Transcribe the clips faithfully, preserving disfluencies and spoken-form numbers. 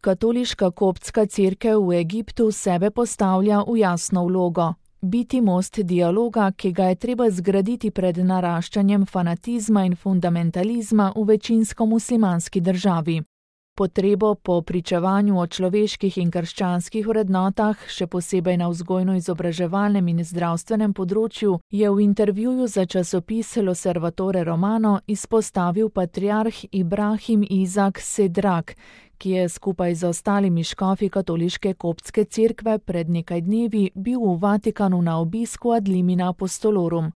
Katoliška koptska cerkev v Egiptu sebe postavlja v jasno vlogo. Biti most dialoga, ki ga je treba zgraditi pred naraščanjem fanatizma in fundamentalizma v večinsko muslimanski državi. Potrebo po pričevanju o človeških in krščanskih vrednotah, še posebej na vzgojno-izobraževalnem in zdravstvenem področju, je v intervjuju za časopis L'Osservatore Romano izpostavil patriarh Ibrahim Izak Sedrak, ki je skupaj z ostalimi škofi katoliške koptske cerkve pred nekaj dnevi bil v Vatikanu na obisku ad limina apostolorum.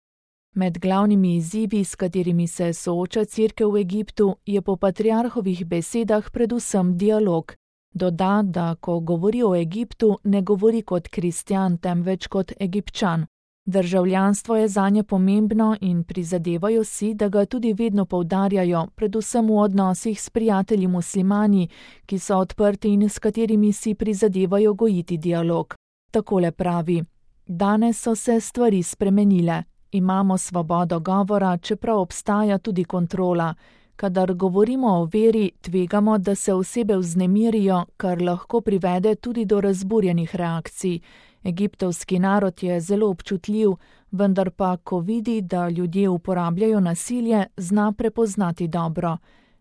Med glavnimi izzivi, s katerimi se sooča cerkev v Egiptu, je po patriarhovih besedah predvsem dialog. Doda, da ko govori o Egiptu, ne govori kot kristjan, temveč kot Egipčan. Državljanstvo je zanje pomembno in prizadevajo si, da ga tudi vedno poudarjajo, predvsem v odnosih s prijatelji muslimani, ki so odprti in s katerimi si prizadevajo gojiti dialog. Takole pravi: danes so se stvari spremenile. Imamo svobodo govora, čeprav obstaja tudi kontrola. Kadar govorimo o veri, tvegamo, da se osebe vznemirijo, kar lahko privede tudi do razburjenih reakcij. Egiptovski narod je zelo občutljiv, vendar pa, ko vidi, da ljudje uporabljajo nasilje, zna prepoznati dobro.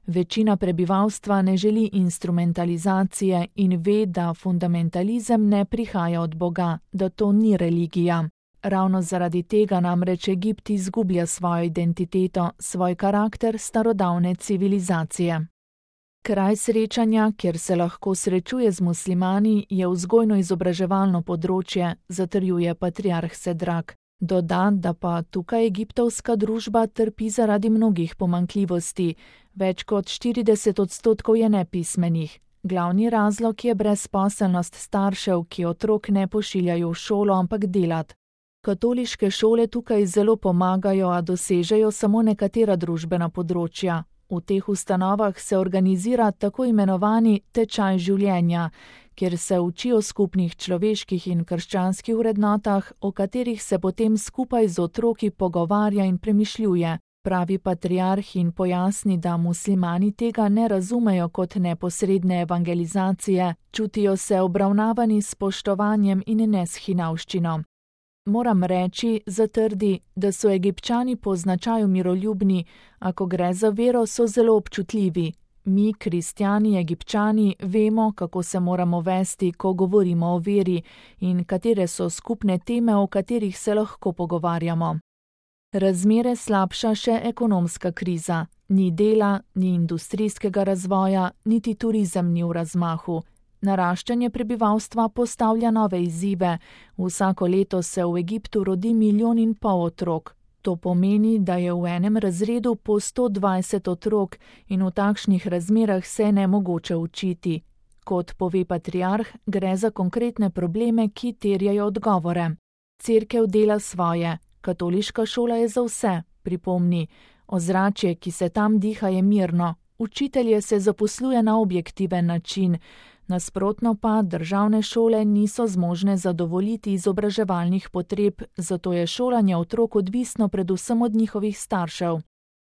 Večina prebivalstva ne želi instrumentalizacije in ve, da fundamentalizem ne prihaja od Boga, da to ni religija. Ravno zaradi tega namreč Egipt izgublja svojo identiteto, svoj karakter starodavne civilizacije. Kraj srečanja, kjer se lahko srečuje z muslimani, je vzgojno-izobraževalno področje, zatrjuje patriarh Sedrak. Doda, da pa tukaj egiptovska družba trpi zaradi mnogih pomanjkljivosti. Več kot štirideset odstotkov je nepismenih. Glavni razlog je brezposelnost staršev, ki otrok ne pošiljajo v šolo, ampak delat. Katoliške šole tukaj zelo pomagajo, a dosežejo samo nekatera družbena področja. V teh ustanovah se organizira tako imenovani tečaj življenja, kjer se uči o skupnih človeških in krščanskih vrednotah, o katerih se potem skupaj z otroki pogovarja in premišljuje, pravi patriarh in pojasni, da muslimani tega ne razumejo kot neposredne evangelizacije, čutijo se obravnavani s spoštovanjem in ne s hinavščino. Moram reči, zatrdi, da so Egipčani po značaju miroljubni, a ko gre za vero, so zelo občutljivi. Mi, kristjani, Egipčani, vemo, kako se moramo vesti, ko govorimo o veri in katere so skupne teme, o katerih se lahko pogovarjamo. Razmere slabša še ekonomska kriza. Ni dela, ni industrijskega razvoja, niti turizem ni v razmahu. Naraščanje prebivalstva postavlja nove izzive. Vsako leto se v Egiptu rodi milijon in pol otrok. To pomeni, da je v enem razredu po sto dvajset otrok in v takšnih razmerah se je nemogoče učiti. Kot pove patriarh, gre za konkretne probleme, ki terjajo odgovore. Cerkev dela svoje, katoliška šola je za vse, pripomni. Ozračje, ki se tam diha, je mirno. Učitelje se zaposluje na objektiven način. Nasprotno pa državne šole niso zmožne zadovoljiti izobraževalnih potreb, zato je šolanje otrok odvisno predvsem od njihovih staršev.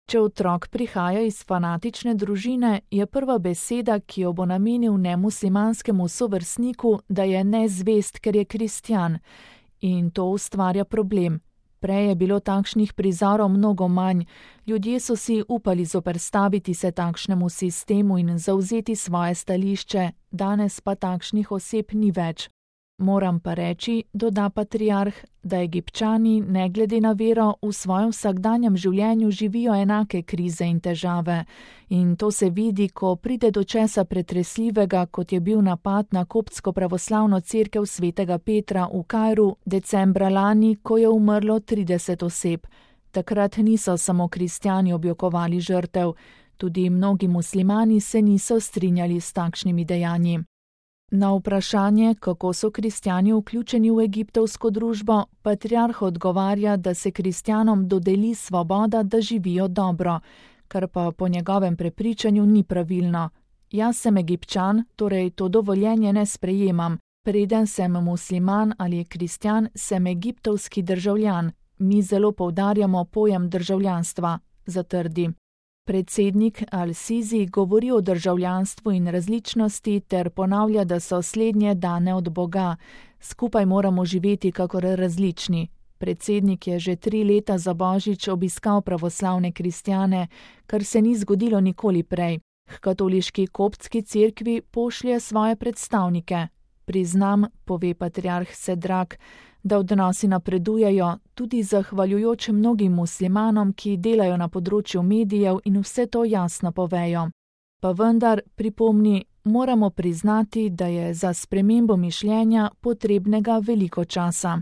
Če otrok prihaja iz fanatične družine, je prva beseda, ki jo bo namenil nemuslimanskemu sovrstniku, da je nezvest, ker je kristjan. In to ustvarja problem. Prej je bilo takšnih prizorov mnogo manj, ljudje so si upali zoperstaviti se takšnemu sistemu in zavzeti svoje stališče, danes pa takšnih oseb ni več. Moram pa reči, doda patriarh, da Egipčani, ne glede na vero, v svojem vsakdanjem življenju živijo enake krize in težave. In to se vidi, ko pride do česa pretresljivega, kot je bil napad na koptsko pravoslavno cerkev svetega Petra v Kairu decembra lani, ko je umrlo trideset oseb. Takrat niso samo kristjani objokovali žrtev, tudi mnogi muslimani se niso strinjali s takšnimi dejanji. Na vprašanje, kako so kristjani vključeni v egiptovsko družbo, patriarh odgovarja, da se kristjanom dodeli svoboda, da živijo dobro, kar pa po njegovem prepričanju ni pravilno. Jaz sem Egipčan, torej to dovoljenje ne sprejemam. Preden sem musliman ali kristjan, sem egiptovski državljan. Mi zelo poudarjamo pojem državljanstva, zatrdi. Predsednik Al-Sisi govori o državljanstvu in različnosti ter ponavlja, da so slednje dane od Boga. Skupaj moramo živeti kakor različni. Predsednik je že tri leta za Božič obiskal pravoslavne kristjane, kar se ni zgodilo nikoli prej. H katoliški koptski cerkvi pošlje svoje predstavnike. Priznam, pove patriarh Sedrak, da odnosi napredujejo, tudi zahvaljujoč mnogim muslimanom, ki delajo na področju medijev in vse to jasno povejo. Pa vendar, pripomni, moramo priznati, da je za spremembo mišljenja potrebnega veliko časa.